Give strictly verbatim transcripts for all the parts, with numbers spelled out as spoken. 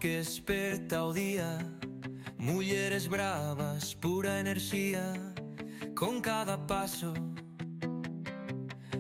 que esperta o día, mulleres bravas, pura enerxía, con cada paso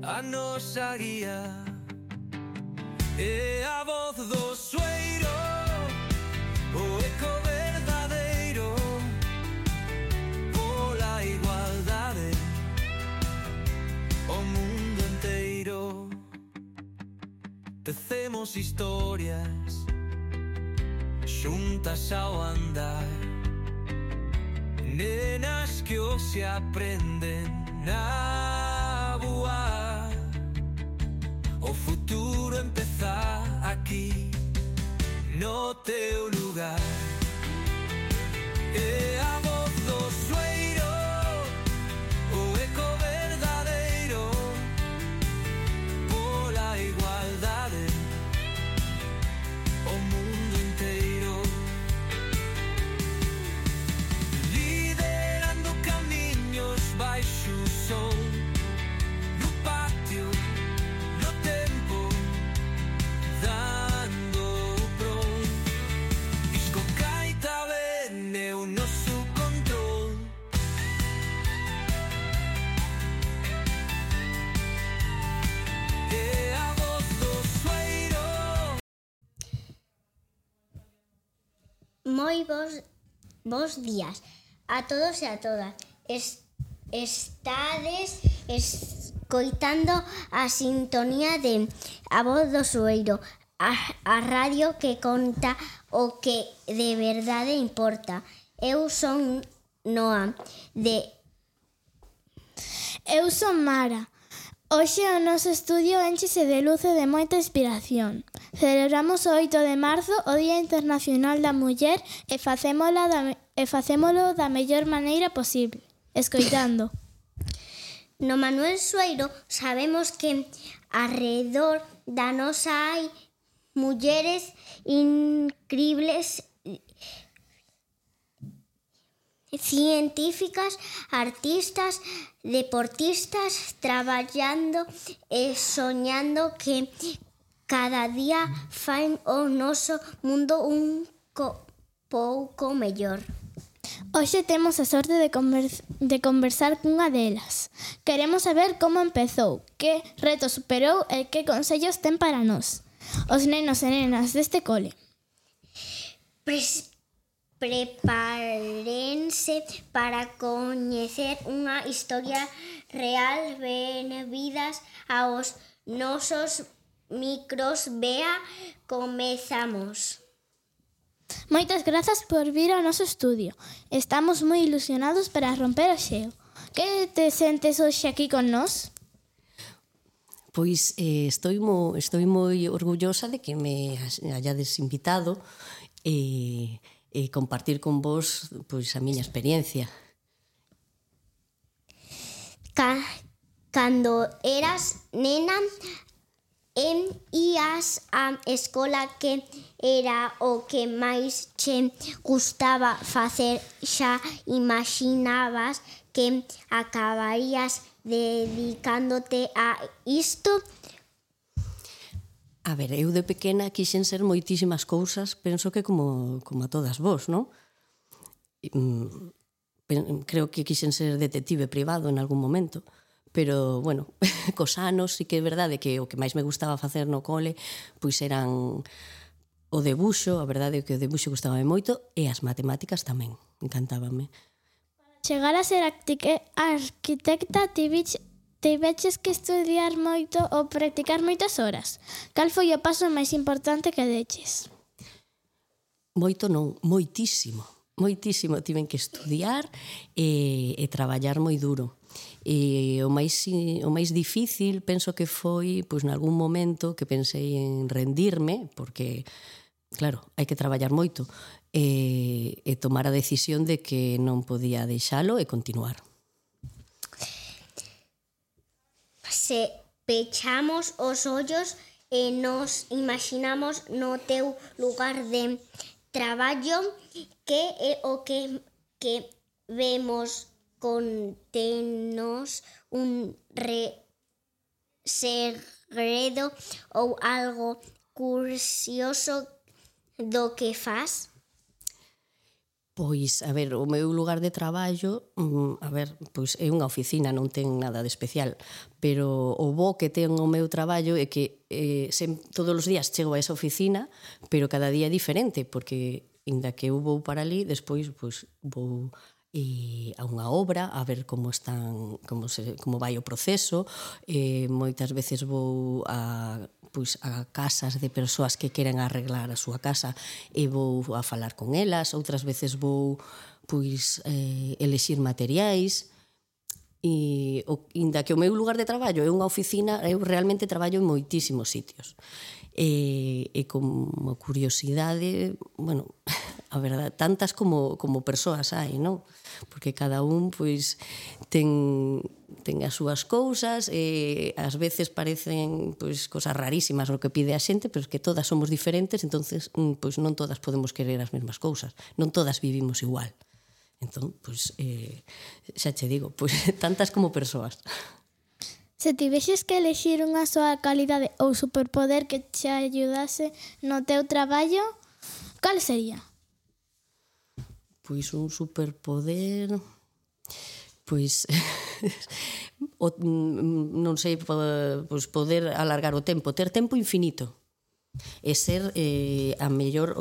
a nosa guía. E a voz do sueiro, o eco verdadeiro, pola igualdade, o mundo enteiro. Tecemos historias xuntas ao andar, nenas que hoxe aprenden a voar. O futuro empeza aquí, no teu lugar. E a voz do sueiro, o eco verdadeiro, pola igualdade, o mundo inteiro. Liderando camiños baixo o sol, no patio, no tempo, dando o pron. Disco gaita ben é o noso control. E a voz do sueiro. Moi bos, bos días a todos e a todas. Es, estades escoitando a sintonía de A Voz do Sueiro, a, a radio que conta o que de verdade importa. Eu son Noa, de... Eu son Mara. Hoxe o noso estudio énchese de luz e de moita inspiración. Celebramos o oito de marzo o Día Internacional da Muller e facémolo da, e facémolo da mellor maneira posible, escoitando. No Manuel Sueiro sabemos que arredor da nosa hai mulleres incribles, científicas, artistas, deportistas, traballando e soñando que cada día faen o noso mundo un co- pouco mellor. Hoxe temos a sorte de, conver- de conversar cunha delas. Queremos saber como empezou, que reto superou e que consellos ten para nós, os nenos e nenas deste cole. Pres- Prepárense para coñecer unha historia real. Benvidas aos nosos micros. Bea, comezamos. Moitas grazas por vir ao noso estudio. Estamos moi ilusionados para romper o xeo. Que te sentes hoxe aquí con nós? Pois eh, estou, mo, estou moi orgullosa de que me hayades invitado e, e compartir con vos pois, a miña experiencia. Ca- Cando eras nena, em ías á escola, que era o que máis che gustaba facer? Xa imaginabas que acabarías dedicándote a isto? A ver, eu de pequena quixen ser moitísimas cousas, penso que como, como a todas vos, non? Creo que quixen ser detective privado en algún momento, pero, bueno, cos anos sí que é verdade que o que máis me gustaba facer no cole pois eran o debuxo, a verdade é que o debuxo gustábame moito, e as matemáticas tamén, encantábame. Chegar a ser arquique- arquitecta tiveches tiveches que estudiar moito ou practicar moitas horas. Cal foi o paso máis importante que deches? Moito non, moitísimo, moitísimo. Tiven que estudiar e, e traballar moi duro. E o máis, o máis difícil penso que foi pois, nalgún momento que pensei en rendirme, porque, claro, hai que traballar moito, e, e tomar a decisión de que non podía deixalo e continuar. Se pechamos os ollos e nos imaginamos no teu lugar de traballo, que é o que, que vemos? Contenos un re segredo ou algo curioso do que fas? Pois, a ver, o meu lugar de traballo, a ver, pois é unha oficina, non ten nada de especial, pero o bo que ten o meu traballo é que eh, sem, todos os días chego a esa oficina, pero cada día é diferente, porque inda que eu vou para ali, despois pois, vou eh, a unha obra a ver como están, como, se, como vai o proceso, eh, moitas veces vou a pois a casas de persoas que queren arreglar a súa casa e vou a falar con elas, outras veces vou pois eh, elexir materiais e o, inda que o meu lugar de traballo é unha oficina, eu realmente traballo en moitísimos sitios e, e como curiosidade, bueno, a verdade, tantas como, como persoas hai, non? Porque cada un pois ten, ten as súas cousas e ás veces parecen pois cosas rarísimas o que pide a xente, pero es que todas somos diferentes, entonces pois non todas podemos querer as mesmas cousas, non todas vivimos igual. Entón, pois, eh, xa che digo, pois tantas como persoas. Se tivexes que elexir unha soa calidade ou superpoder que te ayudase no teu traballo, cal sería? Pois un superpoder, pois o, non sei, pois poder alargar o tempo, ter tempo infinito e ser eh, a mellor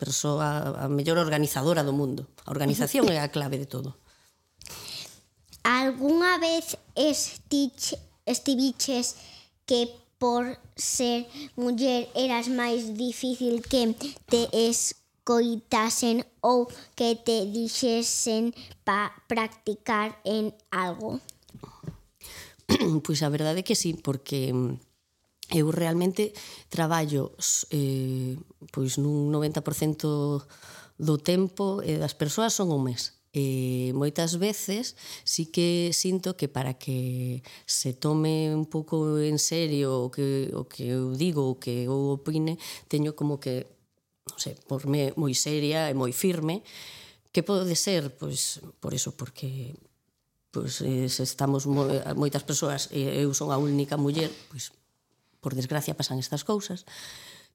persoa, a mellor organizadora do mundo. A organización é a clave de todo. Algúnha vez estich, estiviches que por ser muller eras máis difícil que te escoitasen ou que te dixesen pa practicar en algo? Pois a verdade é que sí, porque eu realmente traballo eh, pois nun noventa por cento do tempo e das persoas son homes. E moitas veces sí que sinto que para que se tome un pouco en serio o que, o que eu digo, o que eu opine, teño como que, non sei, porme moi seria e moi firme, que pode ser, pois, por eso, porque pois, se estamos moitas persoas e eu son a única muller, pois, por desgracia pasan estas cousas.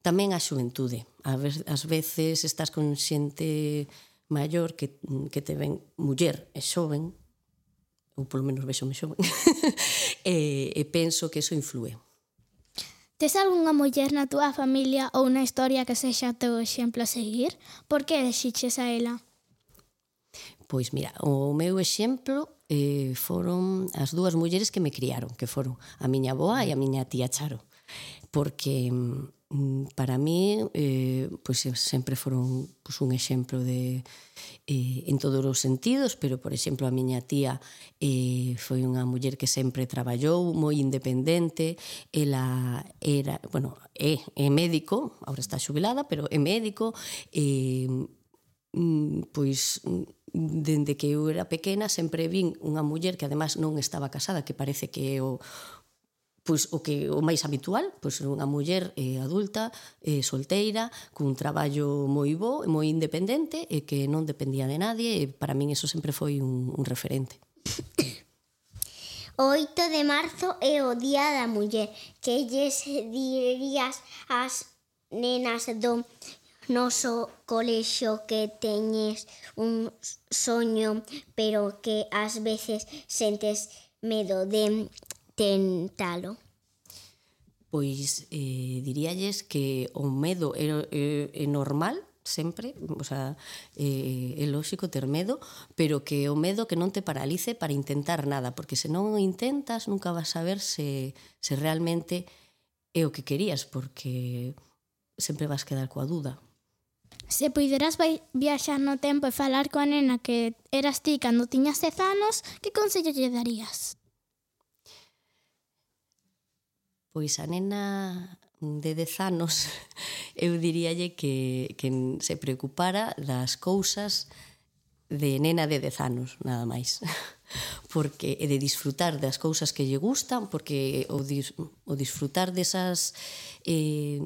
Tamén a xuventude. Ás veces estás con xente maior que, que te ven muller e xoven, ou polo menos vexome xoven, e, e penso que eso influe. Tes algunha muller na túa familia ou na historia que sexa teu exemplo a seguir? Por que elixiches a ela? Pois mira, o meu exemplo eh, foron as dúas mulleres que me criaron, que foron a miña avoa e a miña tía Charo, porque para mí eh, pois sempre foron pois, un exemplo de eh, en todos os sentidos, pero por exemplo a miña tía eh, foi unha muller que sempre traballou moi independente, ela era, bueno, é, é médico, agora está xubilada, pero é médico, e pois dende que eu era pequena sempre vin unha muller que además non estaba casada, que parece que é o pois o que o máis habitual, pois unha muller eh, adulta, eh, solteira, cun traballo moi bo, moi independente e que non dependía de nadie, e para min eso sempre foi un, un referente. O oito de marzo é o Día da Muller. Que lles dirías ás nenas do noso colexio que teñes un soño, pero que ás veces sentes medo de tentalo? Pois eh, diríalles que o medo é, é, é normal, sempre, o sea, é, é lóxico ter medo, pero que o medo que non te paralice para intentar nada, porque se non o intentas nunca vas a ver se, se realmente é o que querías, porque sempre vas quedar coa dúda. Se puideras viaxar no tempo e falar coa nena que eras ti cando tiñas dez anos, que consello lle darías? Pois a nena de dez anos eu diríalle que, que se preocupara das cousas de nena de dez anos, nada máis. Porque e de disfrutar das cousas que lle gustan, porque o, dis, o disfrutar desas eh,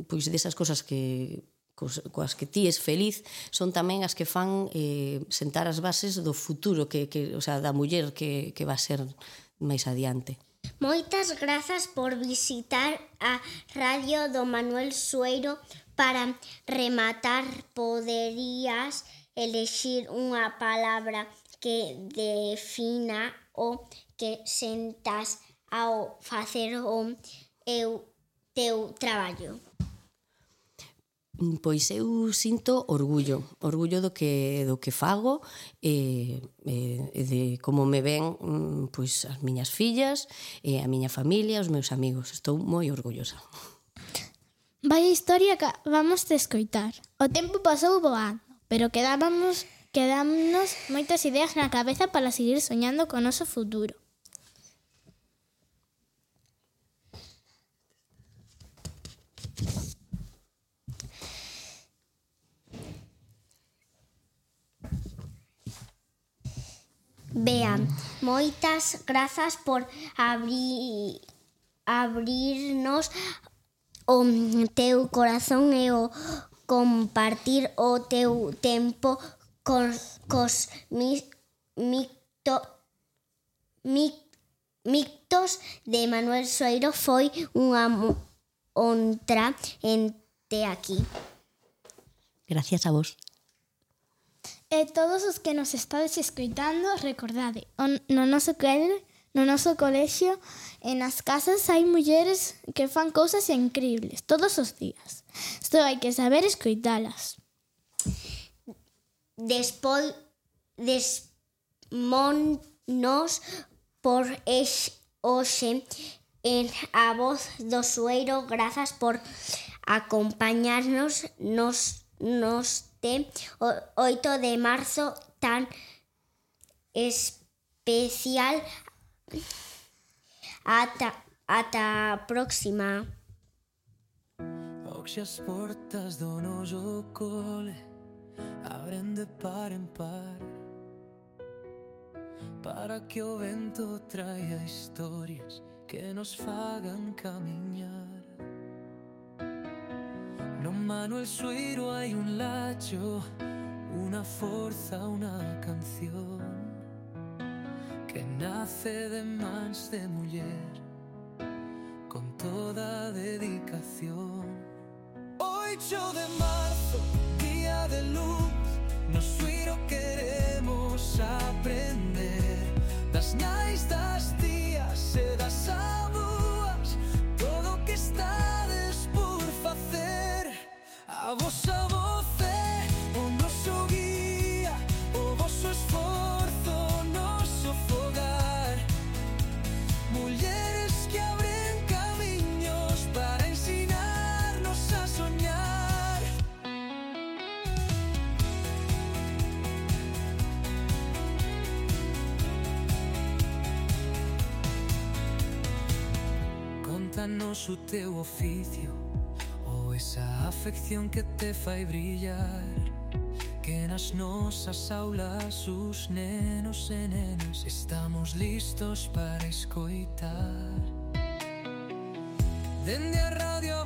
pois desas cousas que coas que ti es feliz son tamén as que fan eh, sentar as bases do futuro que, que, o sea, da muller que, que va a ser máis adiante. Moitas grazas por visitar a radio do Manuel Sueiro. Para rematar, poderías elexir unha palabra que defina o que sentas ao facer o eu, teu traballo. Pois eu sinto orgullo, orgullo do que do que fago e, e de como me ven pois as miñas fillas, e a miña familia, os meus amigos. Estou moi orgullosa. Vaya historia que vamos de escoitar. O tempo pasou voando, pero quedábamos, quedámonos moitas ideas na cabeza para seguir soñando con o noso futuro. Bea, moitas grazas por abrir, abrirnos o teu corazón e o compartir o teu tempo cos, cos mi, micto, mic, mictos de Manuel Sueiro. Foi unha honra en te aquí. Gracias a vos. E todos os que nos estades escoitando, recordade, no noso cole, no noso colexio e nas casas hai mulleres que fan cousas increíbles todos os días. Só hai que saber escoitalas. Despois, desmonnos por ex, hoxe en A Voz do Sueiro. Grazas por acompañarnos nos, nos de oito de marzo tan especial. Ata, ata a próxima. Hoxe as portas do noso cole abren de par en par, para que o vento traia historias que nos fagan camiñar. No Manuel Sueiro hai un lacho, unha forza, unha canción que nace de mans de muller con toda a dedicación. Oito de marzo, día de luz, no Sueiro queremos aprender das nais, das tías e das aboas, todo o que estades por facer. A vosa voz é o noso guía, o voso esforzo, o noso fogar. Mulleres que abren camiños para ensinarnos a soñar. Contanos o teu oficio, esa afección que te fai brillar, que nas nosas aulas os nenos e nenas estamos listos para escoitar. Dende a radio